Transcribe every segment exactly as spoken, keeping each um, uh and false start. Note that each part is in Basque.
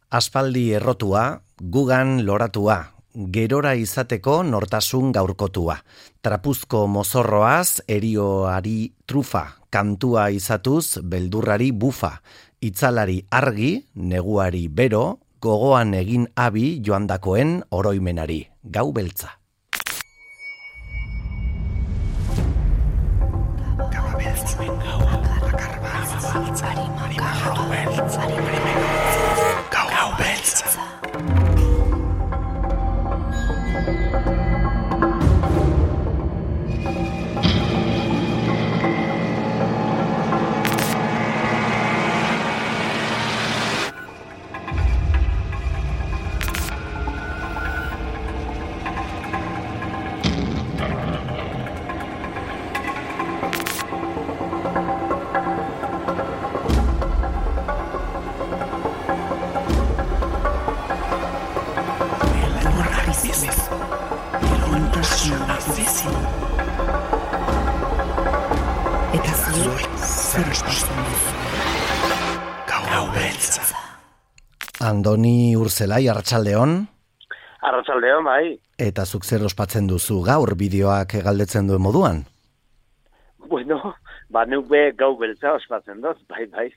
Aspaldi errotua, gugan loratua, gerora izateko nortasun gaurkotua. Trapuzko mozorroaz, erioari trufa, kantua izatuz, beldurrari bufa. Itzalari argi, neguari bero, gogoan egin abi joandakoen oroimenari. Gau beltza. Gau beltza. Gau beltza. Eta zuek zer espatzen duzu. Gau beltza. Andoni Urzelai, arratsaldeon. Arratsaldeon, bai. Eta zuk zer ospatzen duzu gaur bideoak galdetzen duen moduan? Bueno, ba neuke gau beltza ospatzen dut, bai, bai.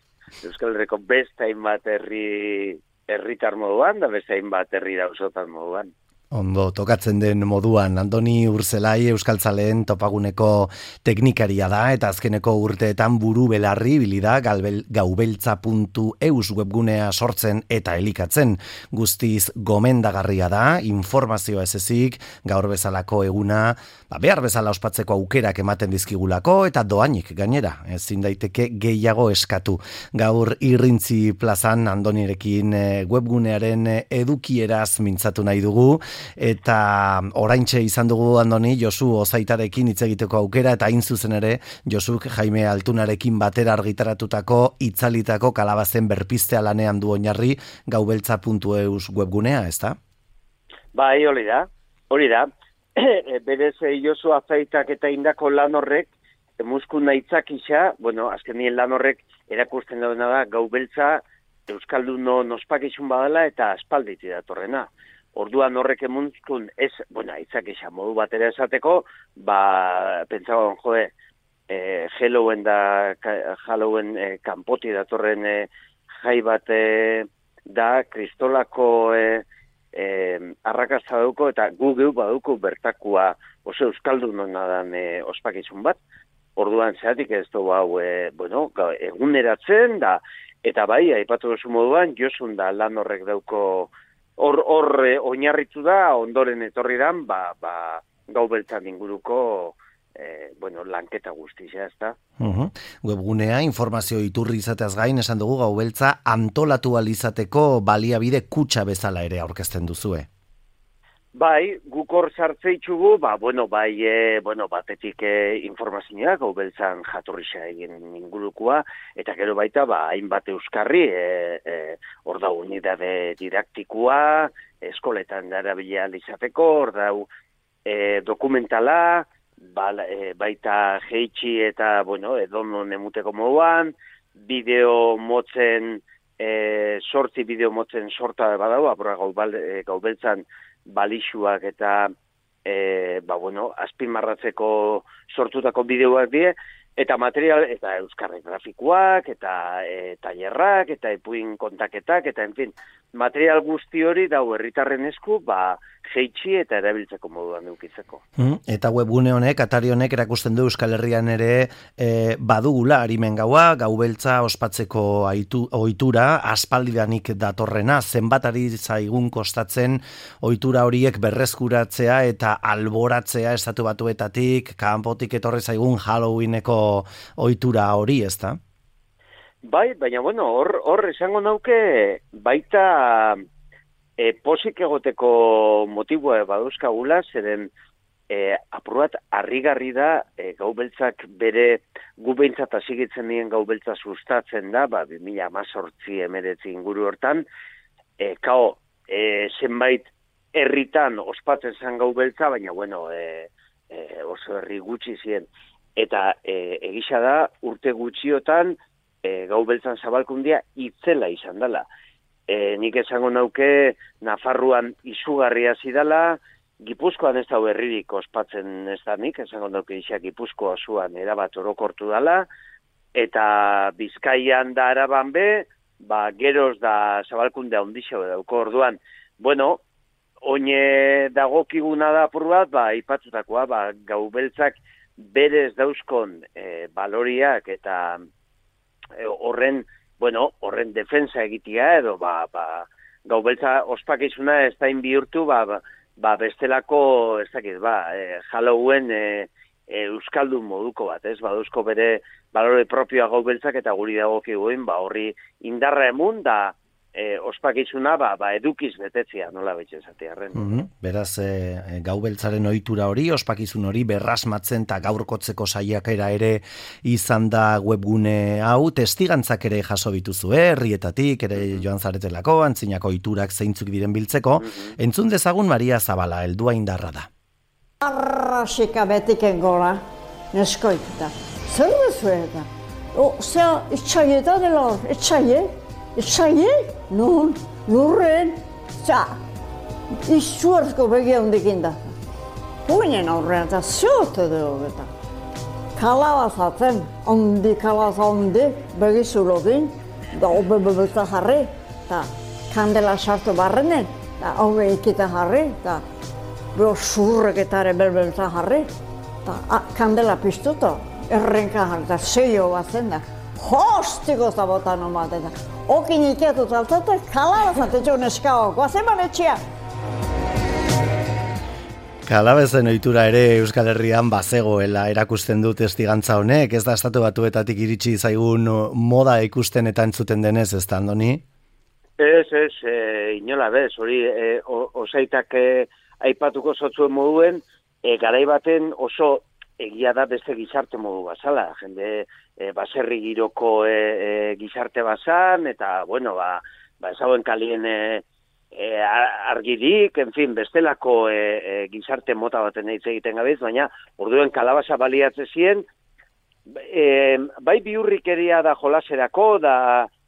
Euskal Herriko beste hainbat herri herritar moduan, da beste hainbat herri dausotan moduan. Ondo, tokatzen den moduan, Andoni Urzelai Euskaltzaleen topaguneko teknikaria da, eta azkeneko urteetan buru belarri bilida gaubeltza puntu eus webgunea sortzen eta elikatzen. Guztiz gomendagarria da, informazioa ez ezik, gaur bezalako eguna, ba, behar bezala ospatzeko aukerak ematen dizkigulako, eta doainik gainera, ezin daiteke gehiago eskatu. Gaur irrintzi plazan Andonirekin webgunearen edukieraz mintzatu nahi dugu, eta oraintxe izan dugu Andoni Josu Ozaitarekin hitz egiteko aukera, eta hain zuzen ere Josuk Jaime Altunarekin batera argitaratutako itzalitako kalabazen berpistea lanean du oinarri gaubeltza puntu eus webgunea, ezta? Bai, hori da. Hori da. Berez Josu Ozaitak eta indako lan horrek muskun aitzakisa, bueno, azkenien lan horrek erakusten duena da gaubeltza euskaldunon ospakizun badala eta aspalditi datorrena. Orduan horrek emuntzkun ez, bueno, aitzak esan modu batera esateko, ba, pentsagoan joe, e, Halloween da, Halloween e, kanpoti datorren e, jai bat e, da, kristolako e, e, arrakasta dauko, eta gu geu baduko bertakua oso euskaldunona dan e, ospakizun bat. Orduan zeatik ez du hau, e, bueno, eguneratzen da, eta bai, aipatu duzu moduan, Josun da lan horrek dauko Hor, hor eh, oinarritu da, ondoren etorri dan, ba, ba, gau beltzan inguruko eh, bueno, lanketa guztia, ez da. Uh-huh. Webgunea, informazio iturri izateaz gain, esan dugu gau beltza antolatu alizateko baliabide kutxa bezala ere aurkezten duzue. Bai, guk hor sartzeitzugu, ba, bueno, bai, e, bueno, batetik e, informazioa, gau beltzan jatorrisa egin ingurukua, eta gero baita, ba, hainbat euskarri, e, e, hor da unidade didaktikoa, eskoletan darabila izateko, hor da e, dokumentala, ba, e, baita jeitsi eta, bueno, edonon emuteko moduan, bideo motzen, e, sortzi bideo motzen sorta badau, apura gau, e, gau beltzan, balixuak eta e, ba, bueno, azpimarratzeko sortutako bideoak die, eta material, eta euskarri grafikoak, eta e, tailerrak, eta epuin kontaketak, eta en fin, material guzti hori dau herritarren esku, ba, jeitsi eta erabiltzeko moduan edukitzeko. Mm, eta webgune honek, atari honek erakusten du Euskal Herrian ere e, badugula harimen gaua, gau beltza ospatzeko aitu, ohitura, aspaldidanik datorrena, zenbatari zaigun kostatzen ohitura horiek berreskuratzea eta alboratzea estatu batuetatik, kanpotik etorri zaigun Halloweeneko ohitura hori, ezta? Bai, baina bueno, hor, hor esango nauke baita e, posik egoteko motibua baduzkagula, zeren e, apruat harrigarri da e, gau beltzak bere gu behintzat hasigitzen dien gau beltza sustatzen da, ba, bi mila hemezortzi hemeretzi inguru hortan, e, kao, e, zenbait herritan ospatzen zen gau beltza, baina bueno, e, e, oso herri gutxi ziren. Eta e, egisa da urte gutxiotan e, gau beltzan zabalkundia itzela izan dela. e, nik esango nauke Nafarroan izugarria zidala, Gipuzkoan ez da berririk ospatzen ez da nik, esango dauke isa Gipuzkoa zuan erabat orokortu dala, eta Bizkaian da Araban be, ba, geroz da zabalkunde handixo dauko orduan. Bueno, oine dagokiguna da apur bat, ba, ipatutakoa, ba, gaubeltzak berez dauzkon e, baloriak eta e, horren, bueno, horren defensa egitea edo, ba, ba, gaubeltza ospakizuna ez da inbihurtu, ba, ba, ba bestelako, ez dakit, ba, e, Halloween e, e, euskaldun moduko bat, ez? Ba, duzko bere balore propioa gaubeltzak eta guri dagokiguen, ba, horri indarra emun, da e, ospakizuna, ba, ba, edukiz betetzea, nola betxe esatearren. Mm-hmm. Beraz, e, gaubeltzaren ohitura hori, ospakizun hori berrasmatzen eta gaurkotzeko saiakera ere izan da webgune hau, testigantzak ere jaso bituzu, eh? Herrietatik, ere joan zaretelako, antzinako ohiturak zeintzuk diren biltzeko. Mm-hmm. Entzun dezagun Maria Zabala, heldua indarra da. Arrasika betiken gola, neskoita. Zer duzu eta? O, zea, itxaieta dela, itxaie? Itxaie? Nun, lurren, za, izuarzko begia hundikin da. Puinen aurrean eta ziote dugu eta. Kalabazatzen, ondi kalabaza ondi, begizulokin, da obe bebelta jarri, eta kandela sartu barrenen, eta obe ikita jarri, eta beho surreketare bebelta jarri, eta kandela piztuta, errenka jarri, eta zeio bat zen da. Hostiko zabotan omat eta. Okin iketu taltate, kalabazatetxo neskao, guazen banetxea. Kalabezen ohitura ere Euskal Herrian bazegoela erakusten du testigantza honek, ez da estatu batuetatik iritsi zaigun moda ikusten eta entzuten denez, ez da, Andoni? Ez, ez, e, inola bez, hori e, osaitak e, aipatuko zotzuen moduen, e, garai baten oso egia da beste gizarte modu bazala, jende e, baserri giroko e, e, gizarte bazan, eta, bueno, ba, ba ezauen kalien e, e, argirik, en fin, bestelako e, e, gizarte mota baten hitz egiten gabiz, baina orduen kalabasa baliatze zien, e, bai biurrikeria da jolaserako, da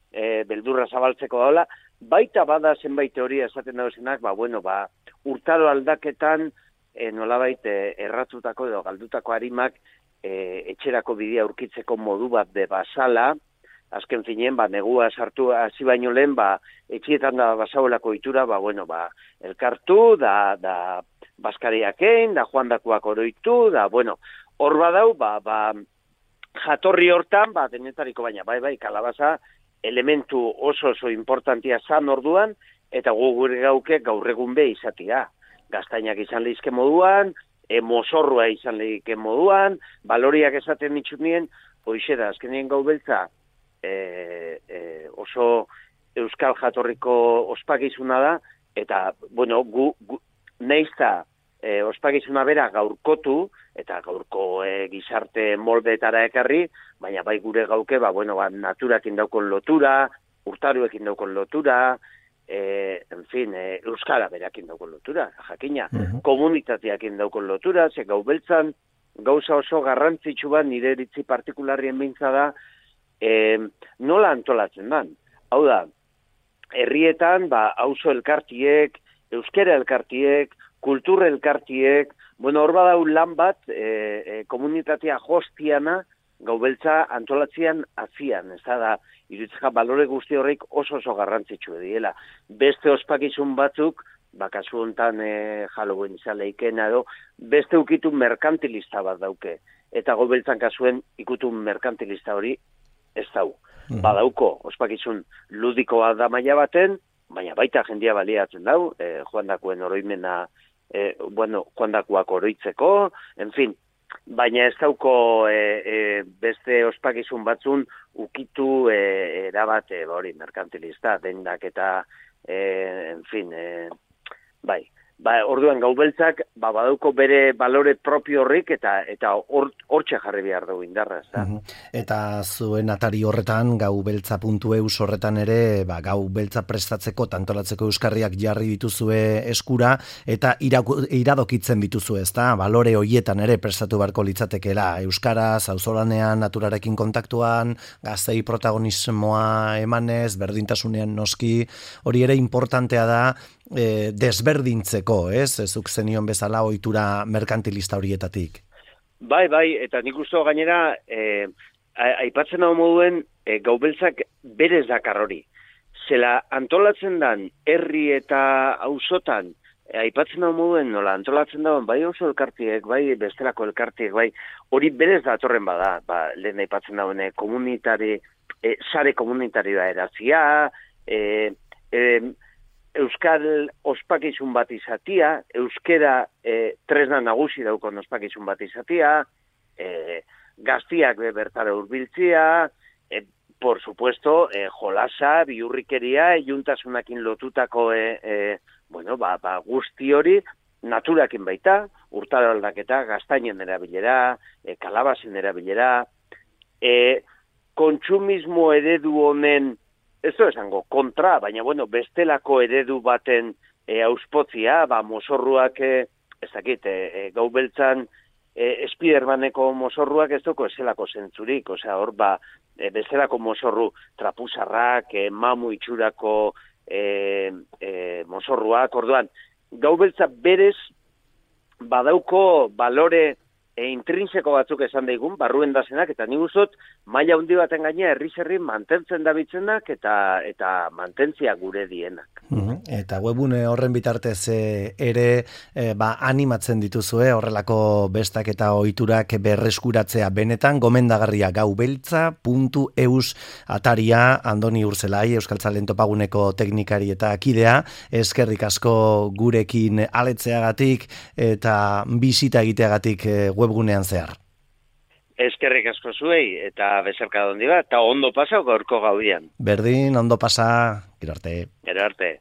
e, beldurra zabaltzeko daula, baita bada zenbait teoria esaten dauzenak, ba, bueno, ba, urtaro aldaketan, E, nolabait e, erratutako edo galdutako harimak e, etxerako bidea aurkitzeko modu bat de basala, azken finen, ba, negua sartu hasi baino lehen, ba, etxietan da basauelako itura, ba, bueno, ba, elkartu, da, da baskariakein, da joandakoak oroitu, da, bueno, hor badau, ba, ba, jatorri hortan, ba, denetariko baina, bai, bai, kalabaza, elementu oso oso importantia zan orduan, eta gu gure gauke gaur egun be izatia. Gaztainak izan lehizke moduan, e, mozorrua izan lehizke moduan, baloriak esaten ditxunien, hoxe da, azkenien gaubeltza e, e, oso euskal jatorriko ospakizuna da, eta, bueno, gu, gu neizta e, ospakizuna bera gaurkotu, eta gaurko e, gizarte moldeetara ekarri, baina bai gure gauke, ba, bueno, ba, naturakin daukon lotura, urtaruekin daukon lotura, E, en fin, e, euskara berakin daukon lotura, jakina, uh-huh. Komunitateakin daukon lotura, ze gaubeltzan gauza oso garrantzitsu bat nire eritzi partikularrien bintza da, e, nola antolatzen dan. Hau da, herrietan, ba, auzo elkartiek, euskera elkartiek, kultur elkartiek, bueno, hor badau lan bat, e, e, komunitatea hostiana, gaubeltza antolatzean azian, ez da, irutzeka balore guzti horreik oso oso garrantzitsu diela. Beste ospakizun batzuk, bakazu hontan e, Halloween izan leikena edo, beste ukitu merkantilista bat dauke. Eta gaubeltzan kasuen ikutu merkantilista hori ez dau. Mm. Badauko, ospakizun ludikoa da maila baten, baina baita jendia baliatzen dau, e, joandakoen oroimena, e, bueno, joandakoak oroitzeko, en fin, baina ez dauko e, e, beste ospakizun batzun ukitu e, erabat e, hori merkantilista, dendak eta e, en fin, e, bai, Ba, orduan gaubeltzak ba, badauko bere balore propio horrik eta eta hortxe jarri behar dugu indarra. Uh-huh. Eta zuen atari horretan, gaubeltza puntu eus horretan ere, ba, gaubeltza prestatzeko, tantolatzeko euskarriak jarri dituzue eskura, eta iraku, iradokitzen dituzue, ezta? Balore hoietan ere prestatu beharko litzatekeela. Euskaraz, auzolanean, naturarekin kontaktuan, gaztei protagonismoa emanez, berdintasunean noski, hori ere importantea da, E, desberdintzeko, ez? Ezuk zenion bezala ohitura merkantilista horietatik. Bai, bai, eta nik uste gainera, e, aipatzen hau moduen, e, gaubeltzak berez dakar hori. Zela antolatzen dan, herri eta auzotan, e, aipatzen hau moduen, nola antolatzen dagoen, bai oso elkartiek, bai bestelako elkartiek, bai hori berez datorren bada, ba, lehen aipatzen dagoen, komunitari, e, sare komunitarioa erazia, e, e, Euskal ospakizun bat izatia, euskera e, tresna nagusi daukon ospakizun bat izatia, e, gaztiak be bertara hurbiltzia, e, por supuesto, e, jolasa, bihurrikeria, iuntasunakin lotutako e, e, bueno, ba, ba, guzti hori, naturakin baita, urtaro aldaketa, gaztainen erabilera, e, kalabazen erabilera, e, kontsumismo eredu honen, ez du esango, kontra, baina, bueno, bestelako eredu baten e, auspotzia, ba, mosorruak, e, ez dakit, e, e, gaubeltzan, e, Spidermaneko mosorruak ez duko ezelako zentzurik, osea, hor, ba, e, bestelako mosorru trapuzarrak, e, mamu itxurako e, e, mosorruak, orduan, gaubeltza berez, badauko balore e, intrinseko batzuk esan daigun, barruen dazenak, eta nik uzot, maila handi baten gaina herri-herri mantentzen dabitzenak eta eta mantentzia gure dienak. Uh-huh. Eta webune horren bitartez e, ere e, ba, animatzen dituzue horrelako bestak eta ohiturak berreskuratzea benetan gomendagarria gaubeltza puntu eus ataria Andoni Urzelai, Euskaltzalen topaguneko teknikari eta kidea, eskerrik asko gurekin aletzeagatik eta bisita egiteagatik e, webgunean zehar. Eskerrik asko zuei, eta bezarka dondi bat, eta ondo pasa gaurko gaudian. Berdin, ondo pasa, gero arte. Gero arte.